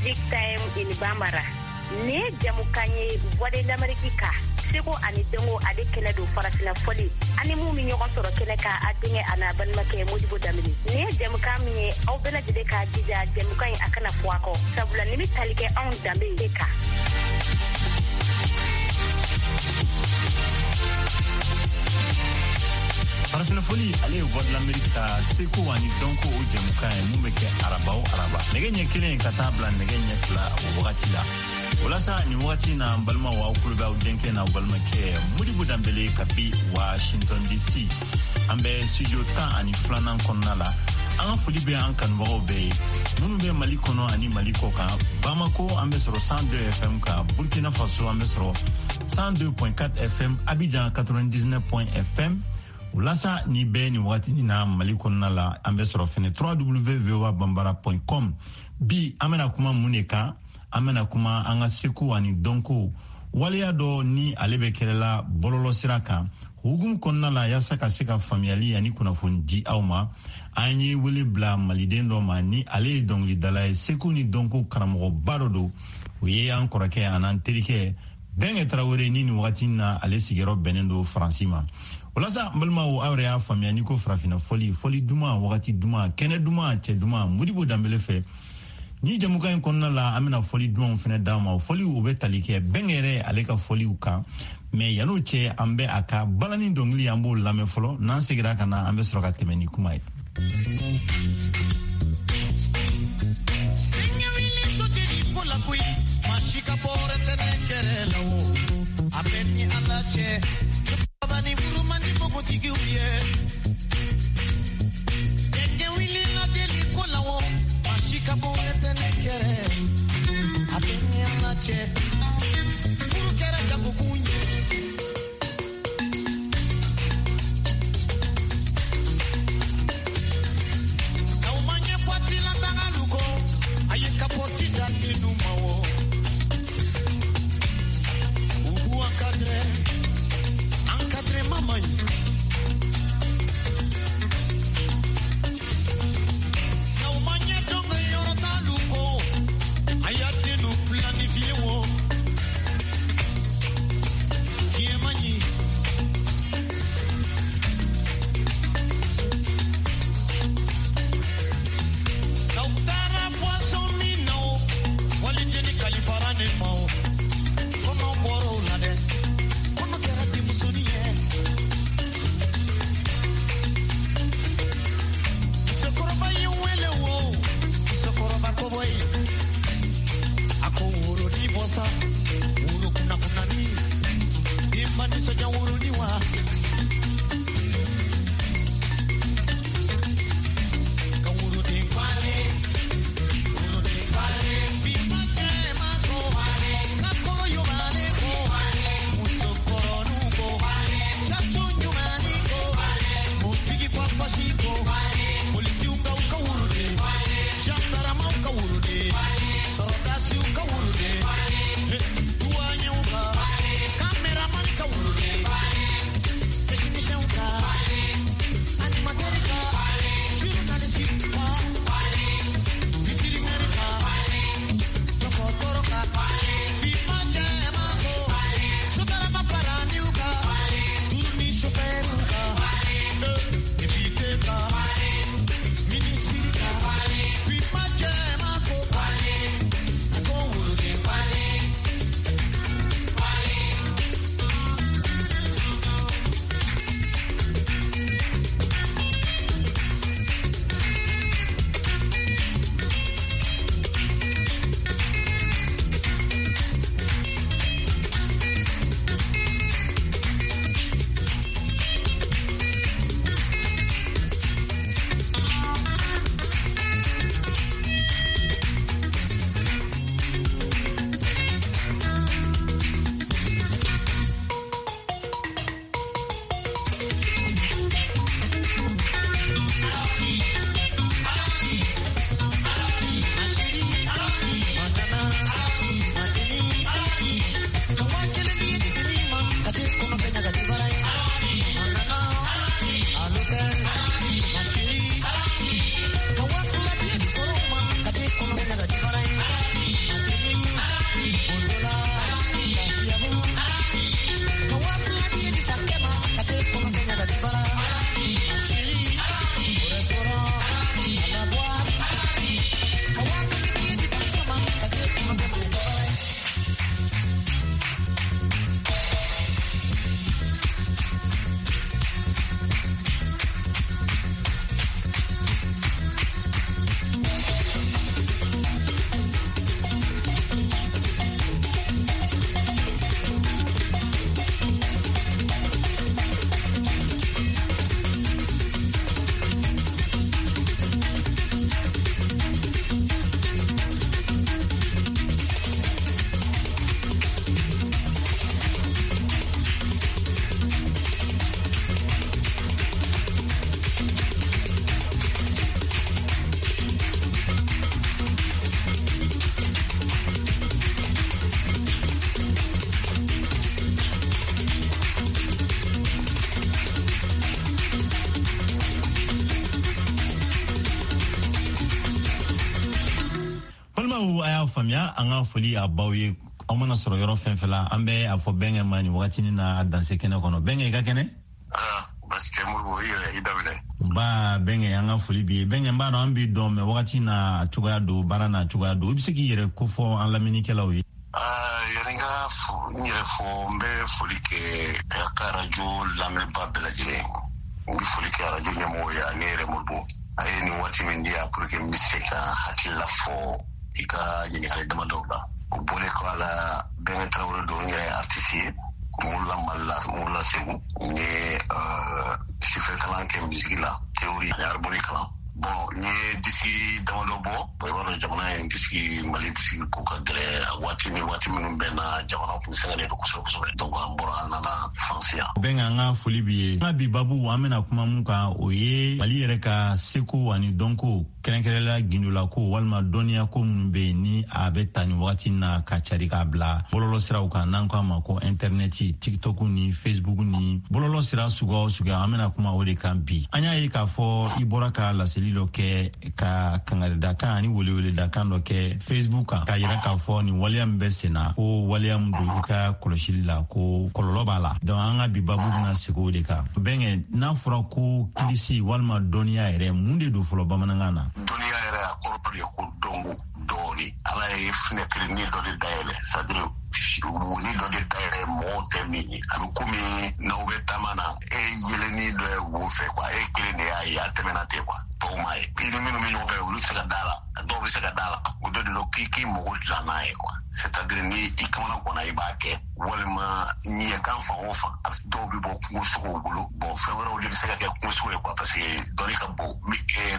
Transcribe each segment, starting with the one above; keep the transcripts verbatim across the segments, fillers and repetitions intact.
Music Time in Bambara. Nin ye jamukan ye Voix de l'Amérique kan, seko ani dɔnko ale kɛnɛ don, farafina fɔli ani mun bɛ ɲɔgɔn sɔrɔ kɛnɛ kan, a denkɛ a n'a balimakɛ Modibo Danbele. Nin ye jamukan min ye, aw bɛɛ lajɛlen k'a jija jamukan in a kana fɔ a kɔ, sabula nin bɛ tali kɛ anw danbe de kan. Farafina fɔli, ale ye Voix de l'Amérique ka seko ani dɔnko o jɛmukan ye mun bɛ kɛ araba o araba, nɛgɛ ɲɛ kelen ka taa bila nɛgɛ ɲɛ fila o wagati la. O la sa, nin wagati na, n balimaw, aw kulo bɛ aw denkɛ n'aw balimakɛ Modibo Danbele kabi Washington D C. An bɛ studio tan ani filanan kɔnɔna la. An ka foli bɛ an kanubagaw bɛɛ ye minnu bɛ Mali kɔnɔ ani Mali kɔ kan. Bamako, an bɛ sɔrɔ cent deux F M kan. Burkina Faso, an bɛ sɔrɔ cent deux point quatre F M. Abidjan, quatre-vingt-dix-neuf F M. O la sa, ni bɛɛ nin wagati na, Mali kɔnɔna la, an bɛ sɔrɔ fɛnɛ W W W voa bambara point com. Bi, an bɛna kuma mun de kan? An bɛna kuma an ka seko ani dɔnko waleya dɔ ni ale bɛ kɛrɛla bɔlɔlɔ sira kan hukumu kɔnɔna la. Yaasa ka se ka faamuyali ani kunnafoni di aw ma, an ye wele bila maliden dɔ ma ni ale ye dɔnkilidala ye, seko ni dɔnko karamɔgɔba dɔ don. O ye an kɔrɔkɛ an'an terikɛ Bɛnkɛ Tarawele, ni nin wagati na ale sigiyɔrɔ bɛnnen don Faransi ma. O la sa, n balimaw, aw yɛrɛ y'a faamuya n'i ko farafinna fɔli, fɔli duman, wagati duman, kɛnɛ duman, cɛ duman, Modibo Danbele fɛ. Ni jamukan in kɔnɔna la, an bɛna fɔli dumanw fɛnɛ d'a ma. O fɔliw, o bɛ tali kɛ Bɛnkɛ yɛrɛ ale ka fɔliw kan. Mɛ yan'o cɛ, an bɛ a ka balani dɔnkili, an b'o lamɛn fɔlɔ. N'an seginna ka na, an bɛ sɔrɔ ka tɛmɛ ni kuma ye. Encadrement man ɲi. Balimaw, a y'a faamuya, an ka foli a baw ye. Aw mana sɔrɔ yɔrɔ fɛn fɛn la, an bɛ a fɔ Bɛnkɛ ma nin wagatinin na danse kɛnɛ kɔnɔ. Bɛnkɛ, i ka kɛnɛ? Basi tɛ Modibo, i yɛrɛ, i daminɛ. Ba Bɛnkɛ, an ka foli b'i ye. Bɛnkɛ, n b'a dɔn an b'i dɔn, mɛ wagati n'a cogoya don, baara n'a cogoya don, i bɛ se k'i yɛrɛ kofɔ an lamɛnnikɛlaw ye? Yanni n ka n yɛrɛ fɔ, n bɛ foli kɛ a ka arajo lamɛnba bɛɛ lajɛlen. N bɛ foli kɛ arajo ɲɛmɔgɔ ye ani yɛrɛ Modibo. A ye nin waati min di yan pour que n bɛ se ka hakilila fɔ i ka ɲininkali damadɔw la. O bɔlen kɔ a la, Bɛnkɛ Tarawele don, n yɛrɛ ye artiste ye. N wolola Mali la, n wolola Segu. N ye sufɛ kalan kɛ musique la, théorie ani harmonie kalan. Bon, n ye disque damadɔ bɔ. I b'a dɔn jamana in disque, Mali disque ko ka gɛlɛn waati ni waati minnu bɛɛ na, jamana kun sɛgɛnnen don kosɛbɛ kosɛbɛ. Donc an bɔra, an nana France yan. Bɛnkɛ, an ka foli b'i ye. An ka bi babu, an bɛna kuma mun kan, o ye Mali yɛrɛ ka seko ani dɔnko, kɛrɛnkɛrɛnla gindolako walima dɔnniyako minnu bɛ yen, ni a bɛ ta nin wagati na ka cari k'a bila bɔlɔlɔ siraw kan, n'an ko a ma ko intɛrɛnɛti, TikTok ni Facebook ni bɔlɔlɔ sira suguya o suguya. An bɛna kuma o de kan bi. An y'a ye k'a fɔ i bɔra ka laseli dɔ kɛ, ka kangaridakan ani weleweledakan dɔ kɛ Facebook kan, k'a yira k'a fɔ nin waleya min bɛ sen na, ko waleya min don, i ka kɔlɔsili la, ko kɔlɔlɔ b'a la. Donc an ka bi babu bɛna segin o de kan. Bɛnkɛ, n'a fɔra ko kilisi walima dɔnniya yɛrɛ, mun de don fɔlɔ bamanankan na? Dɔnniya yɛrɛ, a kɔrɔ de ye ko dɔnko dɔɔni. Ala ye fenêtre dɔ de dayɛlɛ, c'est à dire woni dɔ de dayɛlɛ mɔgɔw tɛ min ye. A bɛ komi n'aw bɛ taama na, e yelenni dɔ ye wo fɛ quoi, e kelen de y'a ye, a tɛmɛna ten quoi, tɔw m'a ye. I ni minnu bɛ ɲɔgɔn fɛ, olu tɛ se ka da la, dɔw bɛ se ka da la. O dɔ de don k'i k'i mago dilan n'a ye quoi, c'est à dire ni i kamana kɔnɔ, i b'a kɛ, walima ɲɛgan fan o fan, dɔw bɛ bɔ kungo sogow bolo. Bon, fɛn wɛrɛw de bɛ se ka kɛ kungo sogo ye quoi, parce que dɔnni ka bon.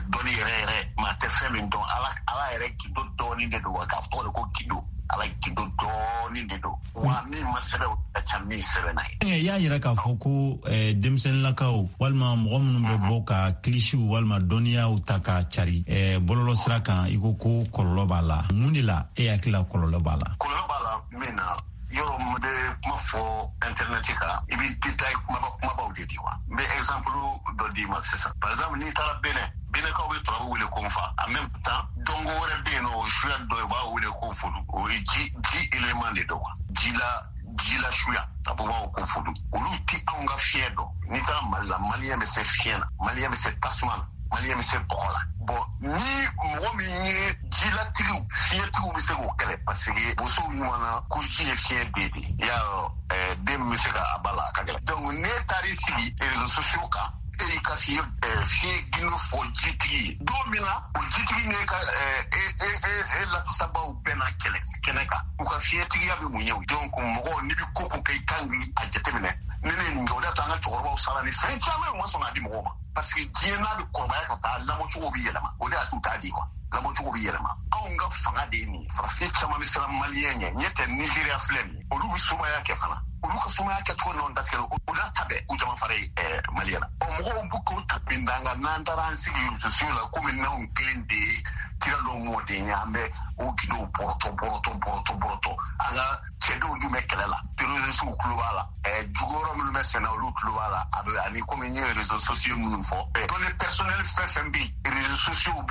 Dɔnni yɛrɛ yɛrɛ, maa tɛ fɛn min dɔn. Ala, Ala yɛrɛ gindo dɔɔni de don wa, k'a fɔ de ko gindo, Ala gindo dɔɔni de don wa, min ma sɛbɛn, o ka ca min sɛbɛnna ye. I y'a yira k'a fɔ ko denmisɛnninlakaw walima mɔgɔ minnu bɛ bɔ ka kilisiw walima dɔnniyaw ta ka cari bɔlɔlɔ sira kan, i ko ko kɔlɔlɔ b'a la. Mun de la e hakili la kɔlɔlɔ b'a la? Kɔlɔlɔ b'a la min na, yɔrɔ min bɛ kuma fɔ internet kan, i bɛ détail kumaba kumabaw de di wa. N bɛ exemple dɔ d'i ma sisan. Par exemple, n'i taara Benin, Benɛkaw bɛ turabu wele ko nfa. En même temps, dɔnko wɛrɛ bɛ yen nɔ, o suya dɔ ye, u b'a wele ko fodu. O ye ji ji élément de don quoi, ji la ji la suya, a fɔ b'a ko fodu. Olu ti anw ka fiɲɛ dɔn. N'i taara Mali la, Malien bɛ se fiɲɛ na, Malien bɛ se tasuma na, Malien bɛ se bɔgɔ la. Bon, ni mɔgɔ min ye jilatigiw, fiɲɛtigiw bɛ se k'o kɛlɛ, parce que bosow ɲuman na ko ji ye fiɲɛ den de ye. I y'a dɔn, den min bɛ se ka a ba la, a ka gɛlɛn. Donc n'e taar'i sigi réseaux sociaux kan, e y'i ka fiɲɛ fiɲɛ gindo fɔ jitigi ye don min na, o jitigi n'e ka e e e e lafasabaw bɛɛ na kɛlɛ kɛnɛ kan, u ka fiɲɛtigiya bɛ mun ye o? Donc mɔgɔ, n'i bɛ ko ko kɛ, i kan k'i a jateminɛ. Ni ne ye nin kɛ, o de y'a to an ka cɛkɔrɔbaw sara ni fɛn caman ye, u ma sɔn k'a di mɔgɔw ma, parce que diɲɛ n'a bɛ kɔrɔbaya ka taa, lamɔcogo bɛ yɛlɛma. O de y'a to u t'a di quoi, lamɔcogo bɛ yɛlɛma. Anw ka fanga de ye nin ye. Farafin caman bɛ siran Malien ɲɛ. Ɲɛ tɛ, Nigéria filɛ nin ye, olu bɛ somaya kɛ fana, olu ka somaya kɛcogo nɔ datigɛ, o n'a ta bɛɛ, u jama fara ye Malien na. Ɔ, mɔgɔw b'u k'o ta min d'an kan, n'an taara an sigi réseaux sociaux la, komi n'anw kelen de ye kira dɔw mɔden ye, an bɛ o gindow bɔrɔtɔ bɔrɔtɔ bɔrɔtɔ bɔrɔtɔ. An ka cɛdenw dun bɛ kɛlɛ la, terroristes tulo b'a la, jugu wɛrɛ minnu bɛ senna, olu tulo b'a la. A bɛ ani komi n ye réseaux sociaux minnu fɔ, données personnelles fɛn fɛn bɛ yen, réseaux sociaux